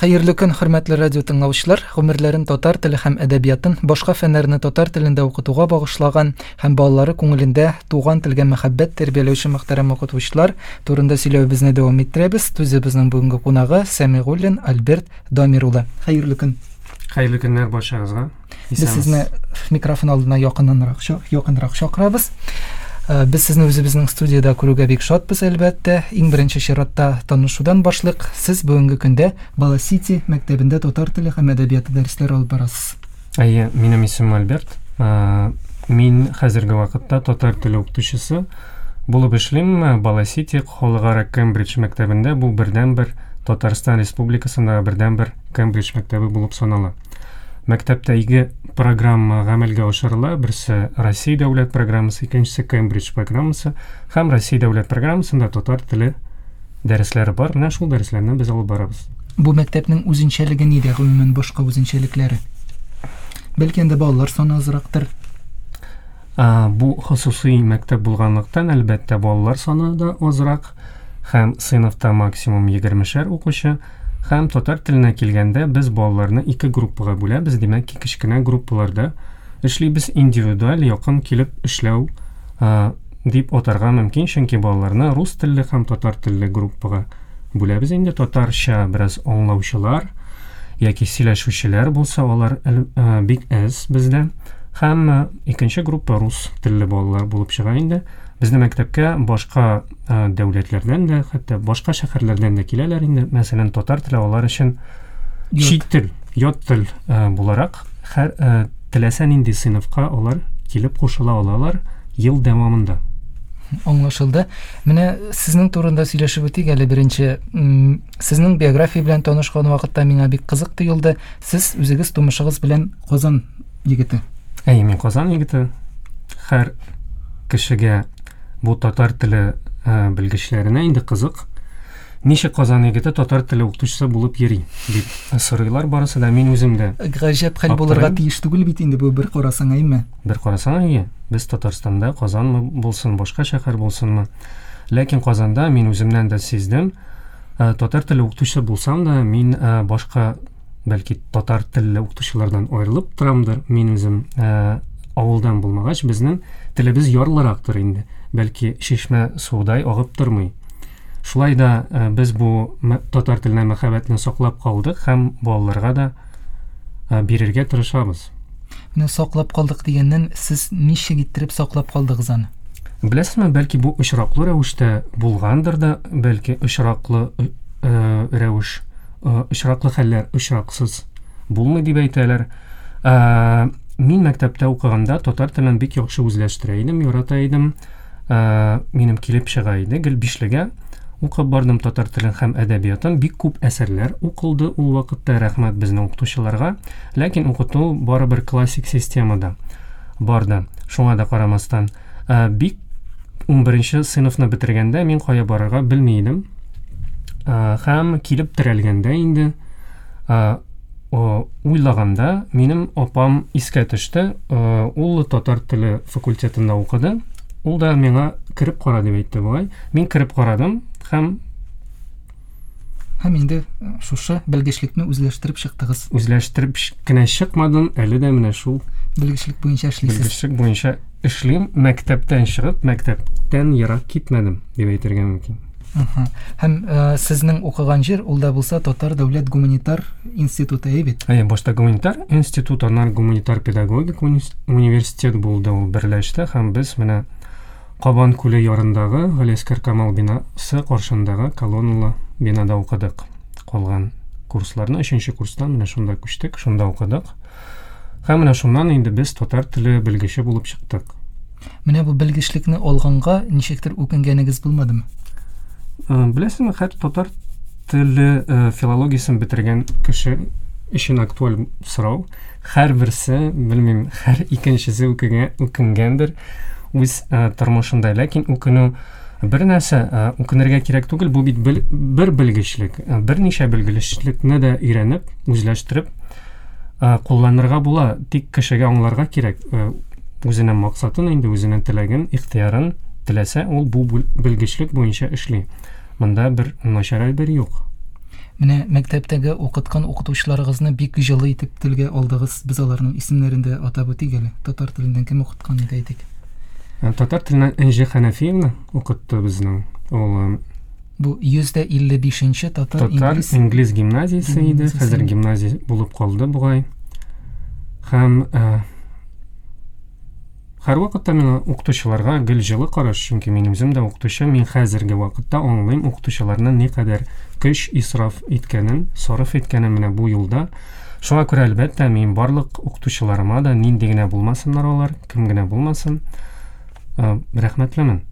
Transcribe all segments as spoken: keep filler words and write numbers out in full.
Хәерле көн, хөрмәтле радио тыңлаучылар. Гомерләрен татар теле һәм әдәбиятын, башка фәннәрне татар телендә укытуга багышлаган һәм балалары күңелендә туган телгә мәхәббәт тәрбияләүче мөхтәрәм укытучылар турында сөйләвебезне дәвам иттерәбез. Студиябезнең бүгенге кунагы Сәмигуллин Альберт Дамир улы. Хәерле көн. Хәерле көннәр барчагызга. Без сезне микрофон алдына якыннанрак якынрак чакырабыз. Без сезне үзебезнең студияда күрүгә бик шатбыз, әлбәттә. Иң беренче чиратта танышудан башлыйк. Сез бүгенге көндә Бала Сити мәктәбендә татар теле һәм әдәбияты дәресләре алып барасыз. Әйе, минем исемем Альберт. Мин хәзерге вакытта татар теле укытучысы булып эшлим. Бала Сити халыкара Кембридж мәктәбендә, бу бердәнбер Татарстан Республикасындагы бердәнбер Кембридж мәктәбе булып санала. Мәктәптә ике программа гамәлгә ашырыла. Берсе Россия дәүләт программасы, икенчесе Кембридж программасы. Һәм Россия дәүләт программасында татар теле дәресләре бар. Менә шул дәресләрне без алып барабыз. Бу мәктәпнең үзенчәлеге нидә, гомумән башка үзенчәлекләре? Бәлки анда балалар саны азрактыр? А, бу хосусый мәктәп булганлыктан, әлбәттә, балалар саны да азрак һәм сыйныфта максимум егермешәр укучы. Һәм татар теленә килгәндә без балаларны ике группага бүләбез. Димәк ки, кечкенә группаларда эшлибез, индивидуаль якын килеп эшләү ә, дип атарга мөмкин, чөнки балаларны рус телле һәм татар телле группага бүләбез. Инде татарча бераз аңлаучылар яки сөйләшүчеләр булса, алар ә, бик әз бездә. Һәм ә, икенче группа рус телле балалар булып чыга инде. Безнең мәктәпкә башка дәүләтләрдән дә, хәтта башка шәһәрләрдән дә киләләр инде. Мәсәлән, татар теле алар өчен чит тел, ят тел буларак, һәр теләсә нинди сыйныфка алар килеп кушыла алалар ел дәвамында. Аңлашылды. Менә сезнең турында сөйләшеп үтик әле беренче. Сезнең биография белән танышкан вакытта миңа бик кызык тоелды. Сез үзегез тумышыгыз белән Казан егете. Әйе, мин Казан егете. Һәр кешегә бу татар теле ә, белгечләренә инде кызык. Ничек Казан егете татар теле укытучысы булып йөри дип сорыйлар барысы да. Мин үзем дә гаҗәп хәл булырга тиеш түгел бит инде бу, бер карасаң, әйме? Бер карасаң, әйе. Без Татарстанда, Казанмы булсын, башка шәһәр булсынмы. Ләкин Казанда мин үземнән дә сиздем, ә, татар теле укытучысы булсам да, мин ә, башка, бәлки татар телле укытучылардан аерылып торамдыр. Мин үзем ә, авылдан булмагач, безнең телебез ярлырактыр инде. Бәлки чишмә судай агып тормый. Шулай да без бу татар теленә мәхәббәтне саклап калдык һәм балаларга да бирергә тырышабыз. Менә саклап калдык дигәннән, сез ничек иттереп саклап калдыгыз аны? Беләсезме, бәлки бу очраклы рәвештә булгандыр да, бәлки очраклы э, рәвеш, э, очраклы хәлләр очраксыз булмый дип әйтәләр. Э, мин мәктәптә укыганда татар телен бик яхшы үзләштерә идем, ярата идем. Ә, минем килеп чыга иде, гел бишлегә укып бардым татар телен һәм әдәбиятын. Бик күп әсәрләр укылды ул вакытта, рәхмәт безнең укытучыларга. Ләкин укыту барыбер классик системада барды. Шуңа да карамастан, ә, бик унберенче сыйныфны бетергәндә мин кая барырга белми идем. Ә, һәм килеп терәлгәндә инде, ә, уйлаганда минем апам искә төште. Ул татар теле факультетында укыды. Ул да миңа кереп кара дип әйтте бугай. Мин кереп карадым һәм һәм инде шушы белгечлекне үзләштереп чыктыгыз. Үзләштереп кенә чыкмадым, әле дә менә шул белгечлек буенча эшлисез. Белгечлек буенча эшлим. Мәктәптән чыгып, мәктәптән ерак китмәдем дип әйтергә мөмкин. Һәм ә, сезнең укыган җир ул да булса Татар дәүләт гуманитар институты, әйе бит? Әйе, башта гуманитар институт, аннан гуманитар педагогик университет булды, ул берләште һәм без менә Кабан күле ярындагы Галиәсгар Камал бинасы каршындагы колонналы бинада укыдык. Калган курсларны өченче курстан менә шунда күчтек, шунда укыдык. Һәм менә шуннан инде без татар теле белгече булып чыктык. Менә бу белгечлекне алганга ничектер үкенгәнегез булмадымы? Беләсезме, һәр татар теле филологиясен бетергән кеше өчен актуаль сорау. Һәрберсе, белмим, һәр икенчесе үкенгәндер үз тормышында. Ләкин үкенү бер нәрсә, үкенергә кирәк түгел, бу бит бер белгечлек, берничә белгечлекне дә өйрәнеп, үзләштереп кулланырга була. Тик кешегә аңларга кирәк үзенең максатын, инде үзенең теләген, ихтыярын теләсә, ул бу белгечлек буенча эшли. Монда бер начар әйбер юк. Менә мәктәптәге укыткан укытучыларыгызны бик җылы итеп телгә алдыгыз. Без аларның исемнәрен дә атап үтик әле. Татар теленнән кем укыткан иде әйтик? Татар теленнән Энҗе Хәнәфиевна укытты безнең. Ул бу йөз дә илле бишенче татар, татар инглиз, инглиз гимназиясе иде. Хәзер гимназия булып калды бугай. Һәм һәрвакытта миңа укытучыларга гел җылы караш, чөнки мин үзем дә укытучы, мин хәзерге вакытта аңлыйм укытучыларның никадәр көч исраф иткәнен, сарыф иткәнен менә бу юлда. Шуңа күрә әлбәттә мин барлык укытучыларыма да, нинди генә булмасыннар алар, кем генә булмасын, рәхмәтлемен.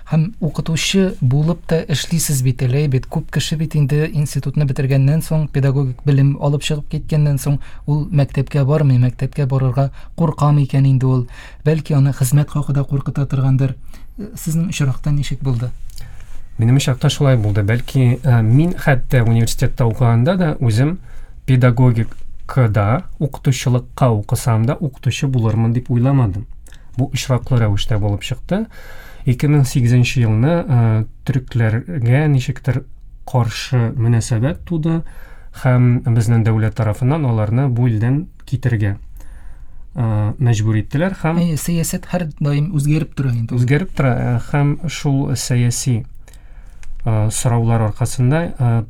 Һәм укытучы булып та эшлисез бит әле, бит күп кеше бит инде институтны бетергәннән соң, педагогик белем алып чыгып киткәннән соң, ул мәктәпкә бармый, мәктәпкә барырга куркам икән инде ул. Бәлки аны хезмәт хакы да куркыта торгандыр. Сезнең очракта ничек булды? Минем очракта шулай булды. Бәлки мин хәтта университетта укыганда да үзем педагогикада укытучылыкка укысам да укытучы булырмын дип уйламадым. Бу очраклы рәвештә булып чыкты. ике мең сигезенче елны төрекләргә ничектер каршы мөнәсәбәт туды һәм безнең дәүләт тарафыннан аларны бу илдән китергә мәҗбүр иттеләр һәм Әйе, сәясәт һәр даим үзгәреп тора инде. Үзгәреп тора һәм шул сәяси сораулар аркасында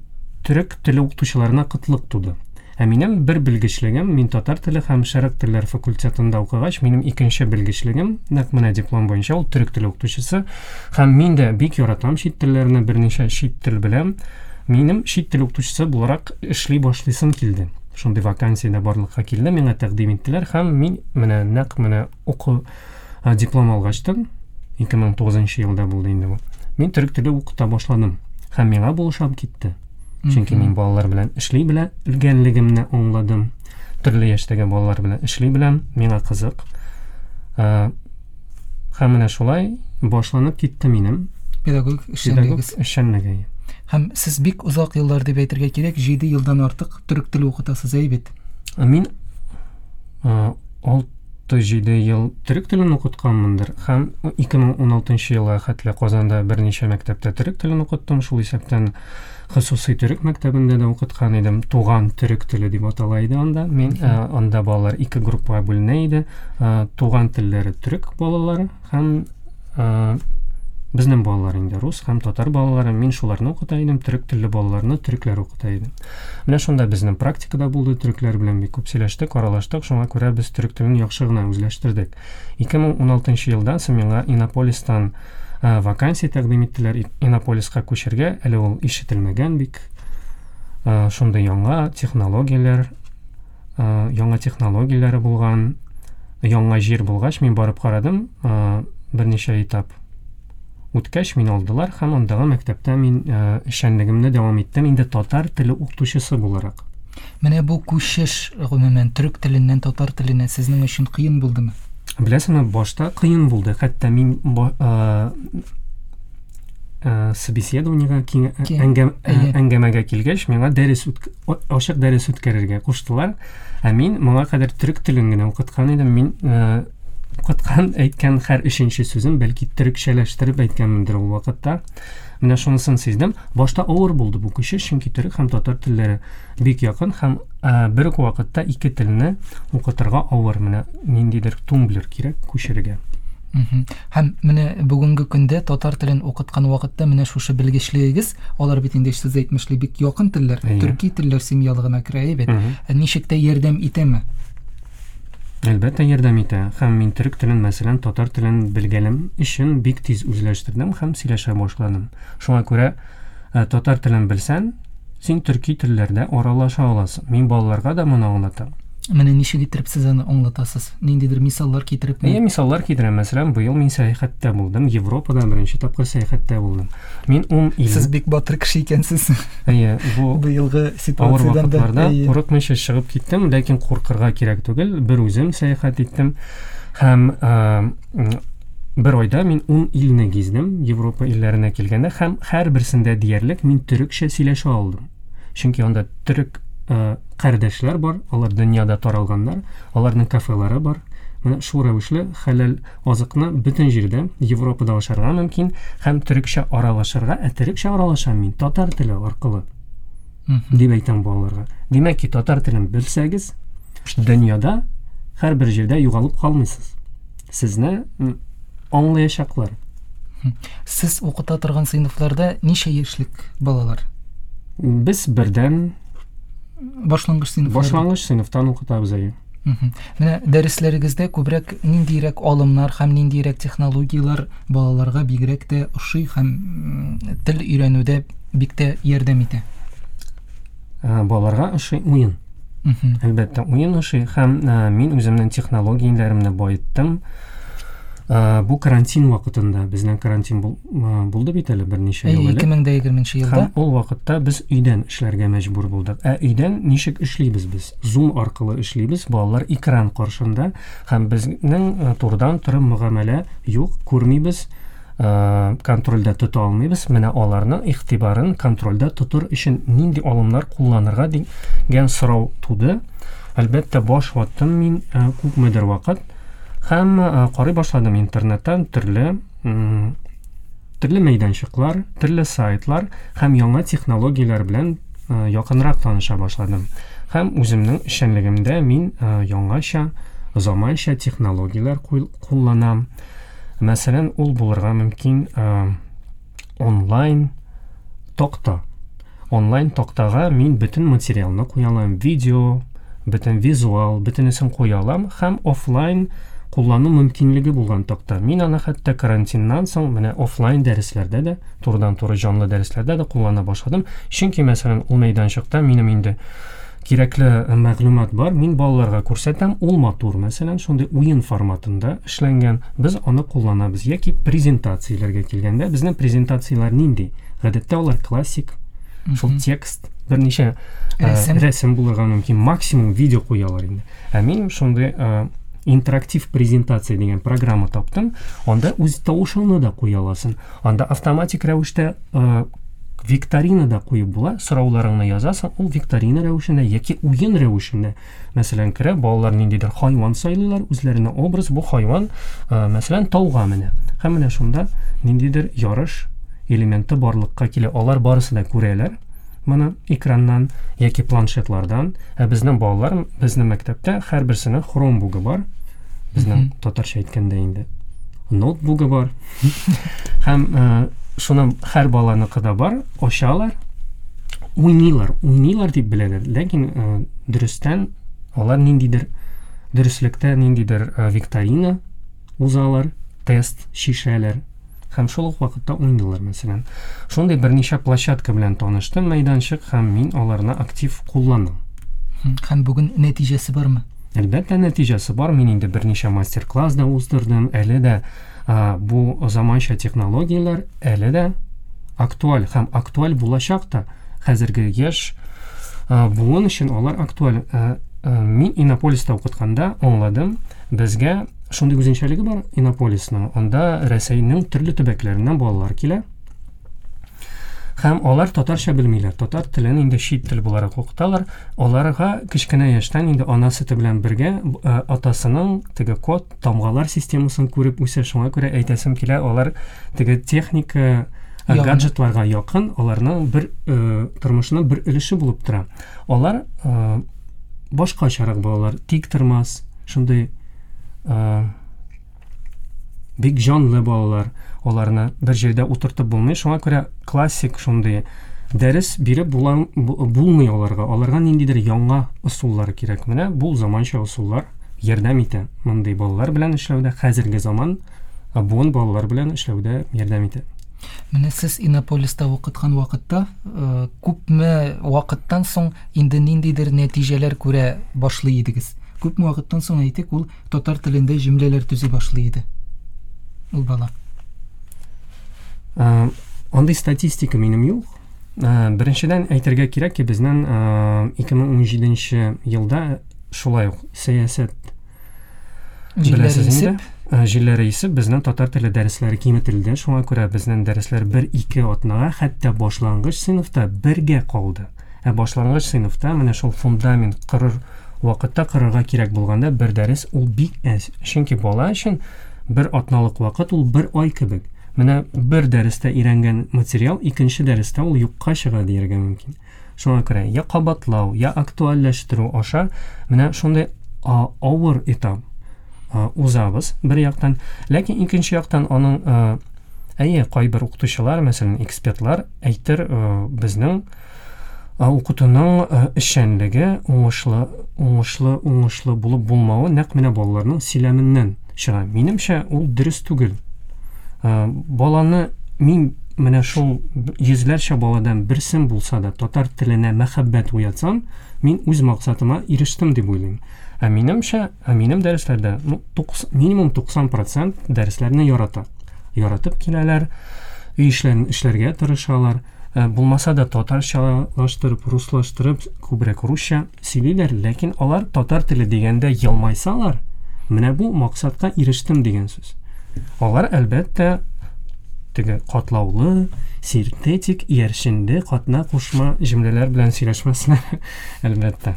төрек теле укытучыларына кытлык туды. Ә минем бер белгечлегем, мин татар теле һәм шәрык телләр факультетында укыгач, минем икенче белгечлегем, нәкъ менә диплом буенча ул төрек теле укытучысы. Һәм мин дә бик яратам чит телләрне, берничә чит тел беләм. Минем чит тел укытучысы буларак эшли башлыйсым килде. Шундый вакансия дә барлыкка килде, миңа тәкъдим иттеләр һәм мин менә нәкъ менә уку диплом алгачтан, ике мең тугызынчы елда булды инде бу. Мин төрек теле укыта башладым һәм миңа бу ошап китте. Чөнки мин балалар белән эшли белгәнлегемне аңладым. Төрле яшьтәге балалар белән эшли беләм, миңа кызык. Һәм менә шулай башланып китте минем педагогик эшчәнлегегез. Эшчәнлеге. Һәм сез бик озак еллар дип әйтергә кирәк, җиде елдан артык төрек теле укытасыз, әй бит? Мин алты-җиде ел төрек телен укытканмындыр һәм ике мең уналтынчы елга хәтле Казанда берничә мәктәптә төрек телен укыттым, шул исәптән хосусый төрек мәктәбендә дә укыткан идем. Туган төрек теле дип атала иде анда. Мин анда балалар ике группага бүленә иде. Туган телләре төрек балалары һәм безнең балалар инде рус һәм татар балалары. Мин шуларны укыта идем, төрек телле балаларны төрекләр укыта идем. Менә шунда безнең практикада булды, төрекләр белән бик күп сөйләштек, аралаштык, шуңа күрә без төрек телен яхшы гына үзләштердек. ике мең уналтынчы елдан соң миңа Иннополистан вакансия тәкъдим иттеләр, Иннополиска күчергә, әле ул ишетелмәгән бик шундый яңа технологияләр, яңа технологияләре булган, яңа җир булгач, мин барып карадым, берничә этап үткәч, мин алдылар һәм андагы мәктәптә мин эшчәнлегемне дәвам иттем, инде татар теле укытучысы буларак. Менә бу күчеш гомумән төрек теленнән татар теленә сезнең өчен кыен булдымы? Беләсеңме, башта кыен булды. Хәтта мин собеседованиега, әңгәмәгә килгәч, миңа дәрес ачык дәрес үткәрергә куштылар. Ә мин моңа кадәр төрек телен генә укыткан идем. Мин укыткан, әйткән һәр өченче сүзем бәлки төрекчәләштереп әйткәнмендер ул вакытта. Менә шунысын сиздем. Башта авыр булды бу күчеш, чөнки төрек һәм татар телләре бик якын һәм бер үк вакытта ике телне укытырга авыр. Менә ниндидер тумблер кирәк күчерергә. Һәм менә бүгенге көндә татар телен укыткан вакытта менә шушы белгечлегегез, алар бит инде сез әйтмешли бик якын телләр, төрки телләр семьялыгына керә бит. Ничек тә ярдәм итәме? Әлбәттә ярдәм итә. Һәм мин төрек телен, мәсәлән, татар телен белгәнем өчен бик тиз үзләштердем һәм сөйләшә башладым. Шуңа күрә татар телен белсән, син төрки телләрдә аралаша аласың. Мин балаларга да моны аңлатам. Менә ничек итеп сез аны аңлатасыз? Ниндидер мисаллар китереп? Әйе, мисаллар китерәм. Мәсәлән, быел мин сәяхәттә булдым. Европада беренче тапкыр сәяхәттә булдым. Мин ун ил. Сез бик батыр кеше икәнсез. Әйе, бу быелгы ситуациядән дә курыкмыйча чыгып киттем, ләкин куркырга кирәк түгел. Бер үзем сәяхәт иттем һәм бер айда мин ун илне гиздем, Европа илләренә килгәндә һәм һәрберсендә диярлек мин төрекчә сөйләшә алдым. Чөнки анда төрек кардәшләр бар, алар дөньяда таралганнар, аларның кафелары бар. Менә шул рәвешле хәләл азыкны бөтен җирдә Европада ашарга мөмкин һәм төрекчә аралашырга, ә төрекчә аралашам мин татар теле аркылы. Дип әйтәм балаларга. Димәк ки, татар телен белсәгез, дөньяда һәрбер җирдә югалып калмыйсыз. Сезне аңлаячаклар. Сез укыта торган сыйныфларда ничә яшьлек балалар? Без бердән башлангыч сыйныфларда. Башлангыч сыйныфтан укытабыз әйе. Менә дәресләрегездә күбрәк ниндирәк алымнар һәм ниндирәк технологияләр балаларга бигрәк тә ошый һәм тел өйрәнүдә бик тә ярдәм итә? Балаларга ошый уен. Әлбәттә, уен ошый һәм мин үземнең технологияләремне байыттым. Бу карантин вакытында, безнең карантин булды бит әле берничә ел элек. ике мең дә егерменче елда. Һәм ул вакытта без өйдән эшләргә мәҗбүр булдык. Ә өйдән ничек эшлибез без? Zoom аркылы эшлибез, балалар экран каршында һәм безнең турыдан туры мөгамәлә юк, күрмибез, контрольдә тота алмыйбыз. Менә аларның игътибарын контрольдә тотыр өчен нинди алымнар кулланырга дигән сорау туды. Әлбәттә, баш ваттым мин күпмедер вакыт. Һәм карый башладым интернеттан төрле төрле мәйданчыклар, төрле сайтлар һәм яңа технологияләр белән якынрак таныша башладым. Һәм үземнең эшчәнлегемдә мин яңача, заманча технологияләр кулланам. Мәсәлән, ул булырга мөмкин онлайн такта. Онлайн тактага мин бөтен материалны куя алам, видео, бөтен визуал, бөтенесен куя алам һәм офлайн куллану мөмкинлеге булган такта. Мин аны хәтта карантиннан соң менә офлайн дәресләрдә дә, турыдан-туры җанлы дәресләрдә дә куллана башладым. Чөнки, мәсәлән, ул мәйданчыкта минем инде кирәкле мәгълүмат бар, мин балаларга күрсәтәм, ул матур, мәсәлән, шундый уен форматында эшләнгән, без аны кулланабыз. Яки презентацияләргә килгәндә, безнең презентацияләр нинди? Гадәттә алар классик, шул текст, берничә рәсем, рәсем булырга мөмкин, максимум видео куялар инде. Ә мин шундый интерактив презентация дигән программа таптым. Анда үз тавышыңны да куя аласың. Анда автоматик рәвештә викторина да куеп була. Сорауларыңны язасың, ул викторина рәвешендә яки уен рәвешендә. Мәсәлән, керә балалар ниндидер хайван сайлыйлар, үзләренә образ, бу хайван, мәсәлән, тауга менә. Һәм менә шунда ниндидер ярыш элементы барлыкка килә. Алар барысы да күрәләр моны экраннан яки планшетлардан. Ә безнең балалар, безнең мәктәптә һәрберсенең Chromebook-ы бар. Безнең татарча әйткәндә инде ноутбугы бар. Һәм шуның һәр баланыкы да бар, ачалар, уйныйлар, уйныйлар дип беләләр. Ләкин дөрестән алар ниндидер дөреслектә ниндидер викторина узалар, тест шишәләр. Һәм шул ук вакытта уйныйлар, мәсәлән. Шундый берничә площадка белән таныштым, мәйданчык, һәм мин аларны актив кулланам. Һәм бүген нәтиҗәсе бармы? Әлбәттә, нәтиҗәсе бар. Мин инде берничә мастер-класс да уздырдым. Әле дә бу заманча технологияләр әле дә актуаль һәм актуаль булачак та. Хәзерге яшь буын өчен алар актуаль. Мин Иннополиста укытканда аңладым, безгә шундый үзенчәлеге бар Иннополисның. Анда Рәсәйнең төрле төбәкләреннән балалар килә. Һәм алар татарча белмиләр. Татар телен инде чит тел буларак укыталар. Аларга кечкенә яшьтән инде ана сөте белән бергә атасының теге код, тамгалар системасын күреп үсә. Шуңа күрә әйтәсем килә, алар теге техника, гаджетларга якын, аларның бер тормышының бер өлеше булып тора. Алар башкачарак балалар, тик тормас, шундый бик җанлы балалар, аларны бер җирдә утыртып булмый. Шуңа күрә классик шундый дәрес биреп булмый аларга. Аларга ниндидер яңа ысуллар кирәк. Менә бу заманча ысуллар ярдәм итә. Мондый балалар белән эшләүдә, хәзерге заман буын балалар белән эшләүдә ярдәм итә. Менә сез Иннополиста укыткан вакытта күпме вакыттан соң инде ниндидер нәтиҗәләр күрә башлый идегез? Күпме вакыттан соң, әйтик, ул татар телендә җөмләләр төзи башлый иде ул бала? Андый статистика минем юк. Беренчедән әйтергә кирәк ки, безнең ике мең унҗиденче елда шулай ук сәясәт җилләре исеп, җилләре исеп безнең татар теле дәресләре киметелде. Шуңа күрә безнең дәресләр бер-ике атнага, хәтта башлангыч сыйныфта бергә калды. Ә башлангыч сыйныфта менә шул фундамент корыр вакытта корырга кирәк булганда бер дәрес ул бик әз. Чөнки бала өчен бер атналык вакыт ул бер ай кебек. Менә бер дәрестә өйрәнгән материал икенче дәрестә ул юкка чыга дияргә мөмкин. Шуңа күрә я кабатлау, я актуальләштерү аша менә шундый авыр этап узабыз бер яктан. Ләкин икенче яктан аның әйе, кайбер укытучылар, мәсәлән, экспертлар әйтер, безнең укытуның эшчәнлеге уңышлы, уңышлы, уңышлы булып булмавы нәкъ менә балаларның сөйләменнән чыга. Минемчә, ул дөрес түгел. Баланы мин менә шул йөзләрчә баладан берсен булса да татар теленә мәхәббәт уятсам, мин үз максатыма ирештем дип уйлыйм. Ә минемчә, ә минем дәресләрдә, ну, минимум туксан процент дәресләрне ярата. Яратып киләләр, өй эшләрен эшләргә тырышалар. Булмаса да татарчалаштырып, руслаштырып, күбрәк русча сөйлиләр, ләкин алар татар теле дигәндә елмайсалар, менә бу максатка ирештем дигән сүз. Алар әлбәттә теге катлаулы, синтетик, иярченле, катна кушма җөмләләр белән сөйләшмәсләр, әлбәттә.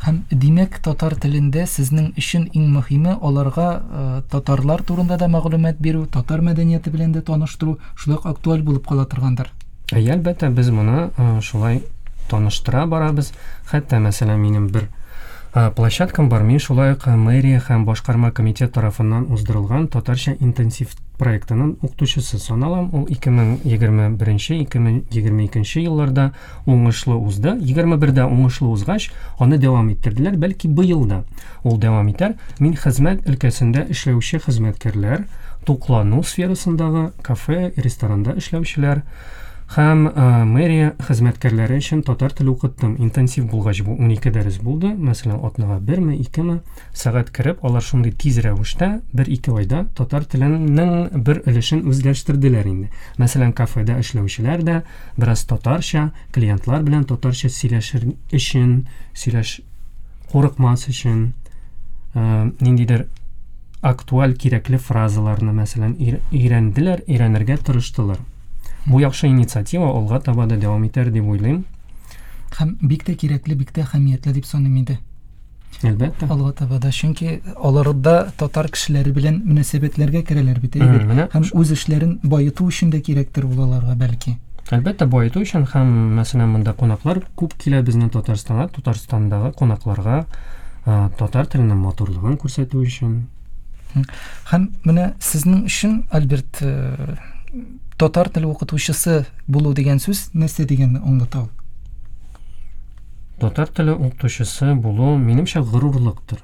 Һәм димәк, татар телендә сезнең өчен иң мөһиме аларга татарлар турында да мәгълүмат бирү, татар мәдәнияте белән дә таныштыру шулай ук актуаль булып кала торгандыр. Әйе, әлбәттә, без моны шулай таныштыра барабыз. Хәтта, мәсәлән, минем бер площадкам бар, мин шулай ук мэрия һәм башкарма комитет тарафыннан уздырылган татарча интенсив проектының укытучысы саналам. Ул ике мең егерме беренче, ике мең егерме икенче елларда уңышлы узды. Егерме бердә уңышлы узгач, аны дәвам иттерделәр. Бәлки быел да ул дәвам итәр. Мин хезмәт өлкәсендә эшләүче хезмәткәрләр, туклану сферасындагы кафе, ресторанда эшләүчеләр һәм мэрия хезмәткәрләре өчен татар теле укыттым. Интенсив булгач бу унике дәрес булды. Мәсәлән, атнага берме, икеме сәгать кереп, алар шундый тиз рәвештә бер-ике айда татар теленең бер өлешен үзләштерделәр инде. Мәсәлән, кафеда эшләүчеләр дә бераз татарча, клиентлар белән татарча сөйләшер өчен, сөйләш курыкмас өчен, ниндидер актуаль кирәкле фразаларны, мәсәлән, өйрәнделәр, өйрәнергә тырыштылар. Бу яхшы инициатива алга таба да дәвам итәр дип уйлыйм. Һәм бик тә кирәкле, бик тә әһәмиятле дип саныйм инде. Әлбәттә. Алга таба да, чөнки алар да татар кешеләре белән мөнәсәбәтләргә керәләр бит, әйе. Һәм үз эшләрен баету өчен дә кирәктер ул аларга бәлки. Әлбәттә, баету өчен һәм, мәсәлән, монда кунаклар күп килә безнең Татарстанга, Татарстандагы кунакларга татар теленең матурлыгын күрсәтү өчен. Һәм менә сезнең өчен, Альберт, татар теле укытучысы булу дигән сүз нәрсә дигәнне аңлата ул? Татар теле укытучысы булу, минемчә, горурлыктыр.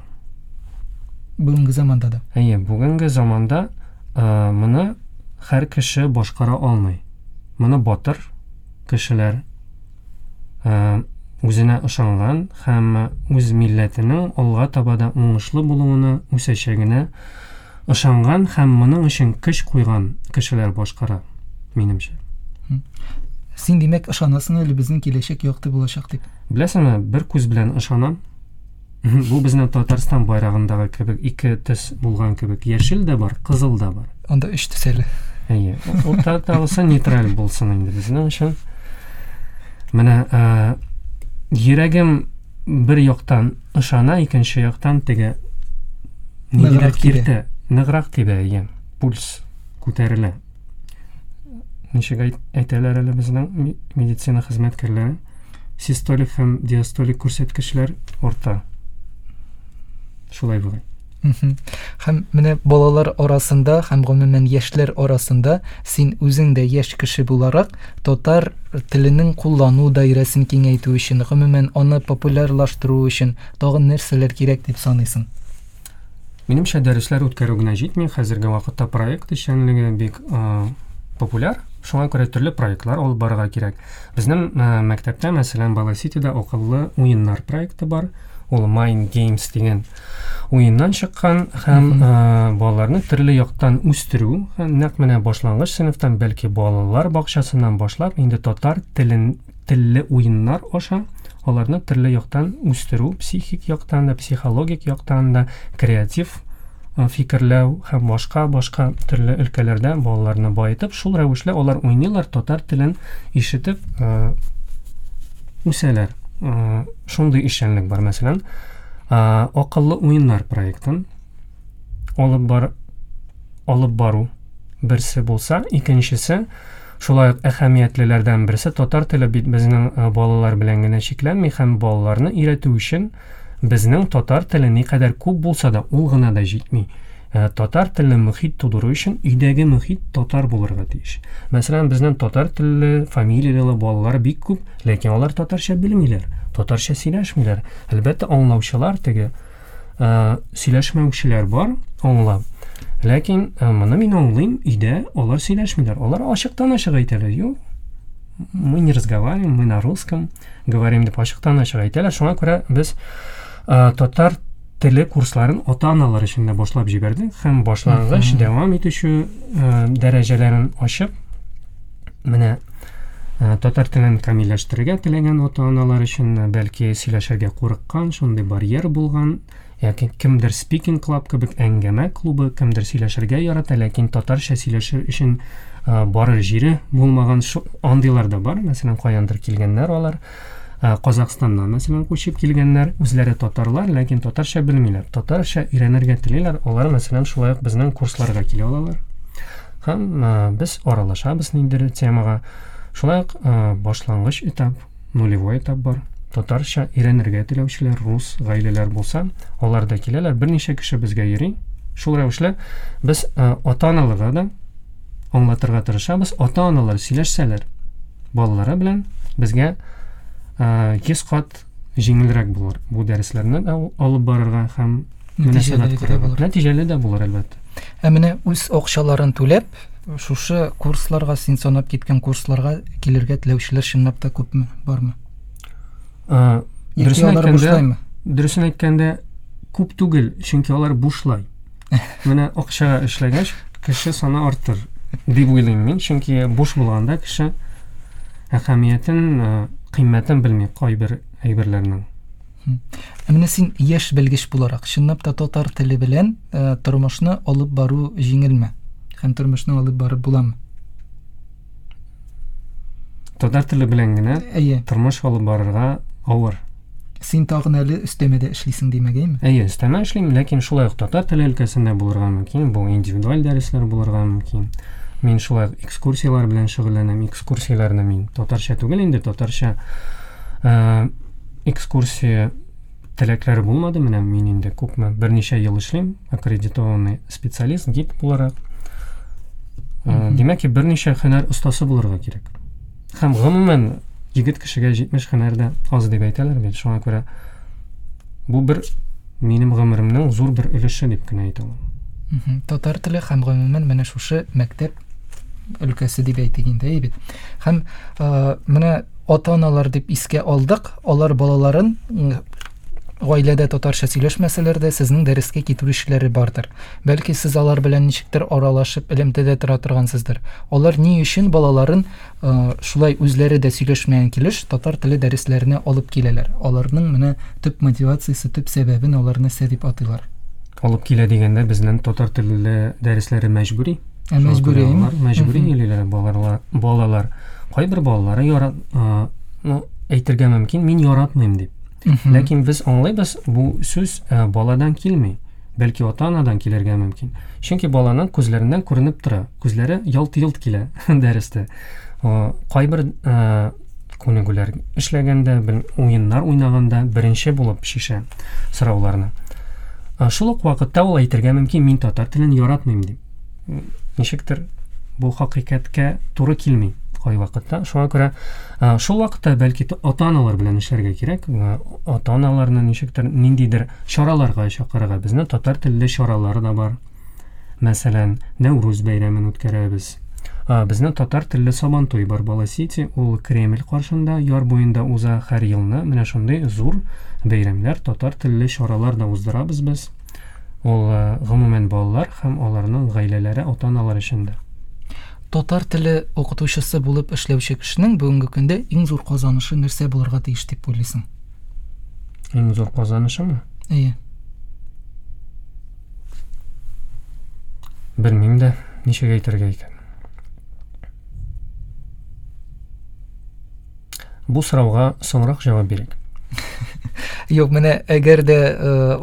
Бүгенге заманда да. Әйе, бүгенге заманда моны һәр кеше башкара алмый. Моны батыр кешеләр, үзенә ышанган һәм үз милләтенең алга таба да уңышлы булуына, үсәчәгенә ышанган һәм моның өчен көч куйган кешеләр башкара, минемчә. Син, димәк, ышанасың әле безнең киләчәк якты булачак дип? Беләсеңме, бер күз белән ышанам. Бу безнең Татарстан байрагындагы кебек ике төс булган кебек. Яшел дә бар, кызыл да бар. Анда өч төс әле. Әйе, уртадагысы нейтраль булсын инде безнең өчен. Менә йөрәгем бер яктан ышана, икенче яктан теге ныграк киртә, ныграк тибә, әйе, пульс күтәрелә. Ничек әйтәләр әле безнең медицина хезмәткәрләре? Систолик һәм диастолик күрсәткечләр арта. Шулай була. Һәм менә балалар арасында һәм гомумән яшьләр арасында син үзең дә яшь кеше буларак татар теленең куллану даирәсен киңәйтү өчен, гомумән аны популярлаштыру өчен тагын нәрсәләр кирәк дип саныйсың? Минемчә, дәресләр үткәрү генә җитми. Хәзерге вакытта проект эшчәнлеге бик популяр. Шуңа күрә төрле проектлар алып барырга кирәк. Безнең мәктәптә, мәсәлән, Бала Ситида акыллы уеннар проекты бар. Ул Mind Games дигән уеннан чыккан һәм балаларны төрле яктан үстерү, нәкъ менә башлангыч сыйныфтан, бәлки балалар бакчасыннан башлап, инде татар телен телле уеннар аша аларны төрле яктан үстерү, психик яктан да, психологик яктан да, креатив фикерләү һәм башка-башка төрле өлкәләрдә балаларны баетып, шул рәвешле алар уйныйлар, татар телен ишетеп үсәләр. Шундый эшчәнлек бар, мәсәлән, акыллы уеннар проектын алып бар, алып бару берсе булса, икенчесе Шулай ук әһәмиятлеләрдән берсе татар теле бит безнең балалар белән генә чикләнми һәм балаларны өйрәтү өчен безнең татар теле никадәр күп булса да, ул гына да җитми. Татар телле мөхит тудыру өчен өйдәге мөхит татар булырга тиеш. Мәсәлән, безнең татар телле фамилияле балалар бик күп, ләкин алар татарча белмиләр, татарча сөйләшмиләр. Әлбәттә, аңлаучылар теге сөйләшмәүчеләр бар, аңлап. Ләкин моны мин аңлыйм, өйдә алар сөйләшмиләр. Алар ачыктан-ачык әйтәләр, юк, мы не разговариваем, мы на русском говорим дип ачыктан-ачык әйтәләр. Шуңа күрә без татар теле курсларын ата-аналар өчен дә башлап җибәрдек һәм башлангыч дәвам итүче дәрәҗәләрен ачып, менә татар телен камилләштерергә теләгән ата-аналар өчен, бәлки сөйләшергә курыккан, шундый барьер булган, яки кемдер speaking club кебек әңгәмә клубы, кемдер сөйләшергә ярата, ләкин татарча сөйләшер өчен барыр җире булмаган андыйлар да бар. Мәсәлән, каяндыр килгәннәр алар. Казахстаннан, мәсәлән, күчеп килгәннәр, үзләре татарлар, ләкин татарча белмиләр. Татарча өйрәнергә телиләр, алар, мәсәлән, шулай ук безнең курсларга килә алалар. Һәм без аралашабыз ниндидер темага. Шулай ук башлангыч этап, нулевой этап бар. Татарча өйрәнергә теләүчеләр, рус гаиләләр булса, алар да киләләр. Берничә кеше безгә йөри. Шул рәвешле без ата-аналарга да аңлатырга тырышабыз. Ата-аналар сөйләшсәләр балалары белән безгә йөз кат җиңелрәк булыр бу дәресләрне дә алып барырга һәм нәтиҗәле дә булыр. Нәтиҗәле дә булыр, әлбәттә. Ә менә үз акчаларын түләп, шушы курсларга, син санап киткән курсларга килергә теләүчеләр чынлап та күпме, бармы? Дөресен әйткәндә, дөресен әйткәндә күп түгел, чөнки алар бушлай. Менә акчага эшләгәч, кеше саны артыр дип уйлыйм мин, чөнки буш булганда кеше әһәмиятен, кыйммәтен белми кайбер әйберләрнең. Ә менә син яшь белгеч буларак, чынлап та татар теле белән тормышны алып бару җиңелме? Һәм тормышны алып барып буламы? Татар теле белән генә тормыш алып барырга авыр. Син тагын әле өстәмәдә эшлисең димәгәйме? Әйе, өстәмә эшлим, ләкин шулай ук татар теле өлкәсендә булырга мөмкин, бу индивидуаль дәресләр булырга мөмкин. Мин шулай ук экскурсияләр белән шөгыльләнәм. Экскурсияләрне мин татарча түгел инде, татарча экскурсия теләкләре булмады. Менә мин инде күпме, берничә ел эшлим, аккредитованный специалист, гид буларак. Димәк ки, берничә һөнәр остасы булырга кирәк. Һәм гомумән егет кешегә җитмеш һөнәр дә аз дип әйтәләр бит. Шуңа күрә бу бер минем гомеремнең зур бер өлеше дип кенә әйтә алам. Татар теле һәм гомумән менә шушы мәктәп өлкәсе дип әйтик инде, әй бит. Һәм менә ата-аналар дип искә алдык, алар балаларын гаиләдә татарча сөйләшмәсәләр дә, сезнең дәрескә китерүчеләре бардыр. Бәлки сез алар белән ничектер аралашып, элемтәдә тора торгансыздыр. Алар ни өчен балаларын шулай үзләре дә сөйләшмәгән килеш татар теле дәресләренә алып киләләр? Аларның менә төп мотивациясе, төп сәбәбен алар нәрсә дип атыйлар? Алып килә дигәндә безнең татар телле дәресләре мәҗбүри. Ә мәҗбүри? Мәҗбүри йөриләр балалар. Балалар. Кайбер балалары ярат, ну, әйтергә мөмкин, мин яратмыйм дип. Ләкин без аңлыйбыз, бу сүз баладан килми, бәлки ата-анадан килергә мөмкин. Чөнки баланың күзләреннән күренеп тора, күзләре ялт-йолт килә дәрестә. Кайбер күнегүләр эшләгәндә, уеннар уйнаганда беренче булып шешә сорауларны. Шул ук вакытта ул әйтергә мөмкин, мин татар телен яратмыйм дип. Ничектер бу хакыйкатькә туры килми кайвакытта. Шуңа күрә шул вакытта бәлки ата-аналар белән эшләргә кирәк. Ата-аналарны ничектер ниндидер чараларга чакырырга. Безнең татар телле чаралары да бар. Мәсәлән, Нәүрүз бәйрәмен үткәрәбез. Безнең татар телле Сабантуй бар, Бала-Сити, ул Кремль каршында, яр буенда уза һәр елны. Менә шундый зур бәйрәмнәр, татар телле чаралар да уздырабыз без. Ул гомумән балалар һәм аларның гаиләләре, ата-аналар өчен дә. Татар теле укытучысы булып эшләүче кешенең бүгенге көндә иң зур казанышы нәрсә булырга тиеш дип уйлыйсың? Иң зур казанышымы? Әйе. Белмим дә, ничек әйтергә икән. Бу сорауга соңрак җавап бирик. Юк, менә әгәр дә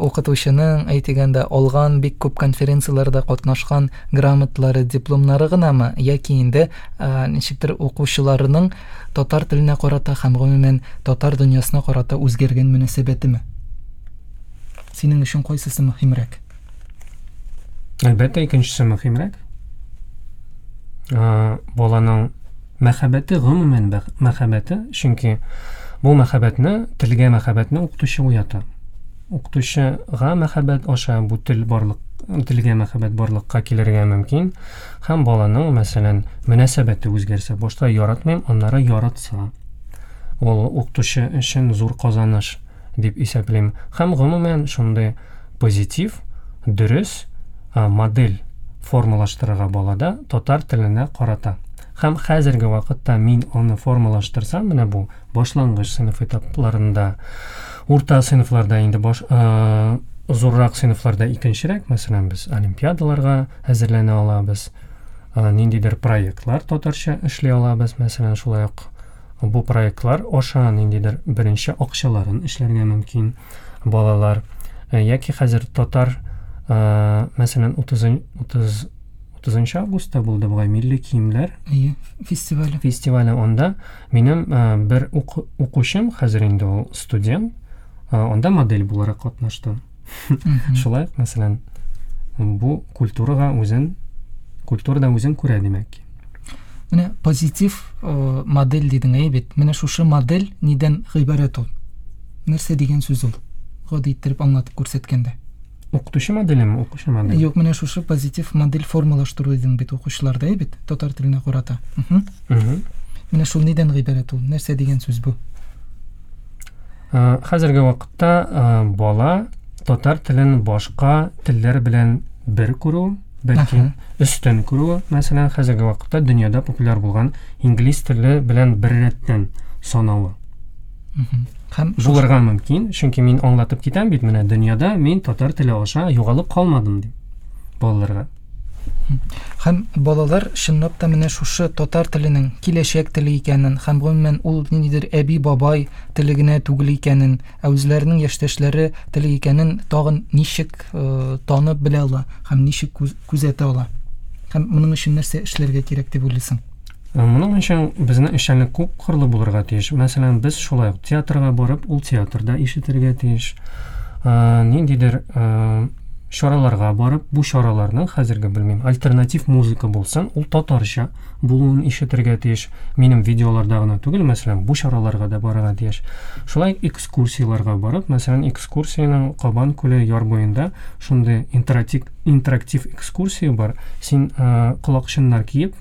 укытучының, әйтегәндә, алган бик күп конференцияләрдә катнашкан грамоталары, дипломнары гынамы, яки инде ничектер укучыларының татар теленә карата һәм гомумән татар дөньясына карата үзгәргән мөнәсәбәтеме? Синең өчен кайсысы мөһимрәк? Әлбәттә, икенчесе мөһимрәк. Баланың мәхәббәте, гомумән мәхәббәте, чөнки бу мәхәббәтне, телгә мәхәббәтне укытучы уята. Укытучыга мәхәббәт аша бу тел барлык, телгә мәхәббәт барлыкка килергә мөмкин. Һәм баланың, мәсәлән, мөнәсәбәте үзгәрсә, башта яратмыйм, аннары яратса, ул укытучы өчен зур казаныш дип исәплим. Һәм гомумән шундый позитив, дөрес модель формалаштырырга балада татар теленә карата. Һәм хәзерге вакытта мин аны формалаштырсам, менә бу башлангыч сыйныф этапларында, урта сыйныфларда инде баш, э, зуррак сыйныфларда икенчерәк, мәсәлән, без олимпиадаларга әзерләнә алабыз, э, ниндидер проектлар татарча эшли алабыз, мәсәлән, шулай ук бу проектлар аша ниндидер беренче акчаларын эшләргә мөмкин балалар. Яки хәзер татар, э, мәсәлән, утыз утызынчы августта булды бугай милли киемнәр фестивале. Фестивале анда минем бер укучым, хәзер инде ул студент, анда модель буларак катнашты. Шулай, мәсәлән, бу культурага үзен, культурада үзен күрә, димәк ки. Менә позитив модель дидең, әйе бит. Менә шушы модель нидән гыйбарәт ул? Нәрсә дигән сүз ул? Гади иттереп аңлатып күрсәткәндә. Укытучы моделеме, укучы моделе? Юк, менә шушы позитив модель формалаштыру дидең бит укучыларда, әйе бит, татар теленә карата. Менә шул нидән гыйбарәт ул? Нәрсә дигән сүз бу? Хәзерге вакытта бала татар телен башка телләр белән бер күрү, бәлки өстен күрү, мәсәлән, хәзерге вакытта дөньяда популяр булган инглиз теле белән бер рәттән санавы. Һәм булырга мөмкин, чөнки мин аңлатып китәм бит, менә дөньяда мин татар теле аша югалып калмадым дип балаларга. Һәм балалар чынлап та менә шушы татар теленең киләчәк теле икәнен, һәм гомумән ул ниндидер әби-бабай теле генә түгел икәнен, ә үзләренең яшьтәшләре теле икәнен тагын ничек э, танып белә ала һәм ничек күзәтә ала? Һәм моның өчен нәрсә эшләргә кирәк дип уйлыйсың? Моның өчен безнең эшчәнлек күп кырлы булырга тиеш. Мәсәлән, без шулай ук театрга барып, ул театрда ишетергә тиеш. Ниндидер чараларга барып, бу чараларның хәзерге белмим, альтернатив музыка булсын, ул татарча булуын ишетергә тиеш. Минем видеоларда гына түгел, мәсәлән, бу чараларга да барырга тиеш. Шулай экскурсияләргә барып, мәсәлән, экскурсиянең Кабан күле яр буенда шундый интерактив, интерактив экскурсия бар. Син колакчыннар киеп,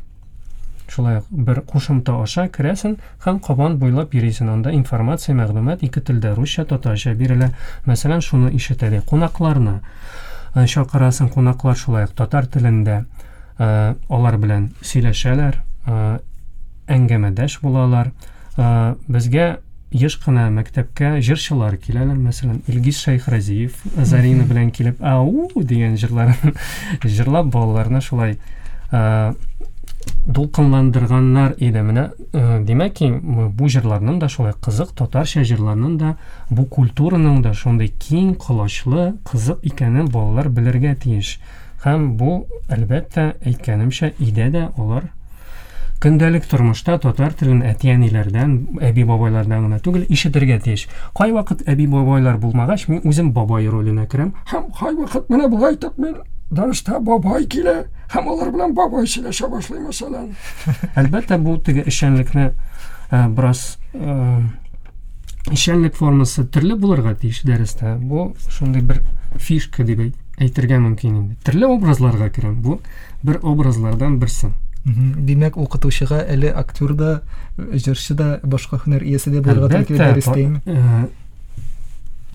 шулай ук бер кушымта аша керәсең һәм Кабан буйлап йөрисең. Анда информация, мәгълүмат ике телдә, русча, татарча бирелә. Мәсәлән, шуны ишетәле. Кунакларны чакырасың, кунаклар шулай ук татар телендә алар белән сөйләшәләр, әңгәмәдәш булалар. Безгә еш кына мәктәпкә җырчылар киләләр. Мәсәлән, Илгиз Шәйхразиев Зарина белән килеп, ау дигән җырларын җырлап балаларны шулай дулкынландырганнар иде. Менә, димәк ки, бу җырларның да шулай кызык, татарча җырларның да, бу культураның да шундый киң колачлы, кызык икәнен балалар белергә тиеш. Һәм бу, әлбәттә, әйткәнемчә, өйдә дә алар көндәлек тормышта татар телен әти-әниләрдән, әби-бабайлардан гына түгел, ишетергә тиеш. Кайвакыт әби-бабайлар булмагач, мин үзем бабай роленә керәм. Һәм кайвакыт менә болай итеп мин дәрестә бабай килә, һәм алар белән бабай сөйләшә башлый, мәсәлән. Әлбәттә, бу теге эшчәнлекне бераз эшчәнлек формасы төрле булырга тиеш дәрестә. Бу шундый бер фишка дип әйтергә мөмкин инде. Төрле образларга керәм. Бу бер образлардан берсе. Димәк, укытучыга әле актер да, җырчы да, башка һөнәр иясе дә булырга туры килә дәрестәме?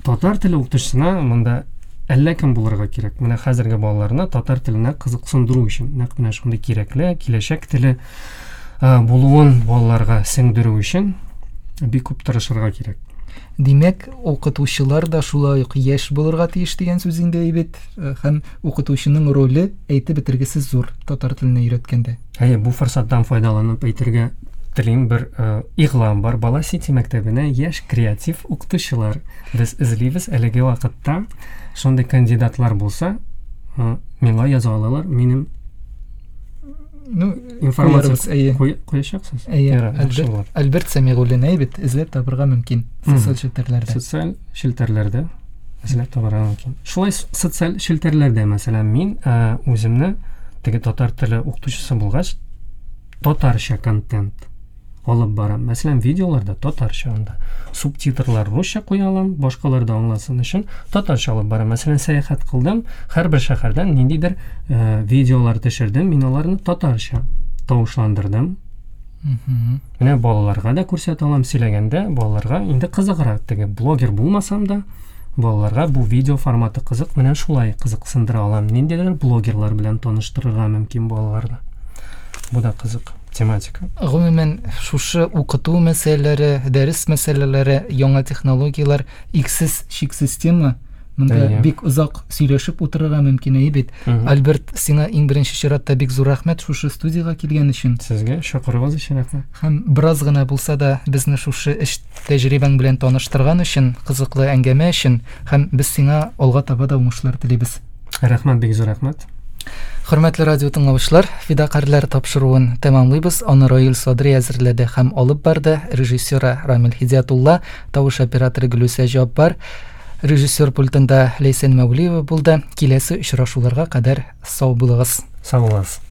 Татар теле укытучысына монда әллә кем булырга кирәк. Менә хәзерге балаларны татар теленә кызыксындыру өчен нәкъ менә шундый кирәкле, киләчәк теле булуын балаларга сеңдерү өчен бик күп тырышырга кирәк. Димәк, укытучылар да шулай ук яшь булырга тиеш дигән сүз инде бит. Һәм укытучының роле әйтеп бетергесез зур татар теленә өйрәткәндә. Әйе, бу форсаттан файдаланып әйтергә телим, бер э, игълан бар. Бала Сити мәктәбенә яшь креатив укытучылар без эзлибез әлеге вакытта. Шундый кандидатлар булса, э, миңа яза алалар. Минем Ну, информация куярбыз, әйе. куя- куячаксыз. Әйе, Ярар, яхшы Альберт, булыр. Альберт Сәмигуллин әйе бит, эзләп табырга мөмкин социаль челтәрләрдә. Социаль челтәрләрдә эзләп табарга мөмкин. Шулай с- социаль челтәрләрдә, мәсәлән, мин э, үземне теге татар теле укытучысы булгач, татарча контент алып барам. Мәсәлән, видеоларда татарча анда. Субтитрлар русча куя алам, башкалар да аңласын өчен татарча алып барам. Мәсәлән, сәяхәт кылдым, һәрбер шәһәрдән ниндидер э, видеолар төшердем, мин аларны татарча тавышландырдым. Мгм. Менә балаларга да күрсәтә алам, сөйләгәндә балаларга инде кызыграк. Теге блогер булмасам да, балаларга бу видео форматы кызык, менә шулай кызыксындыра алам. Ниндидер блогерлар белән таныштырырга мөмкин балаларны. Бу да кызык тематика. Гомумән, шушы укыту мәсьәләләре, дәрес мәсьәләләре, яңа технологияләр иксез чиксез тема. Монда Әйе. бик озак сөйләшеп утырырга мөмкин әйе бит. Мгм. Альберт, сиңа иң беренче чиратта бик зур рәхмәт шушы студиягә килгән өчен. Сезгә чакыруыгыз өчен рәхмәт. Һәм бераз гына булса да безне шушы эш тәҗрибәң белән таныштырган өчен, кызыклы әңгәмә өчен һәм без сиңа алга таба да уңышлар телибез. Рәхмәт, бик зур рәхмәт. Хөрмәтле радио тыңлаучылар, Фидакарьләр тапшыруын тәмамлыйбыз. Аны Раил Садри әзерләде һәм алып барды. Режиссеры Рамил Хидиятулла, тавыш операторы Гөлүсә Җаббар, режиссер пультында Ләйсән Мәүлиева булды. Киләсе очрашуларга кадәр сау булыгыз. Сау булыгыз.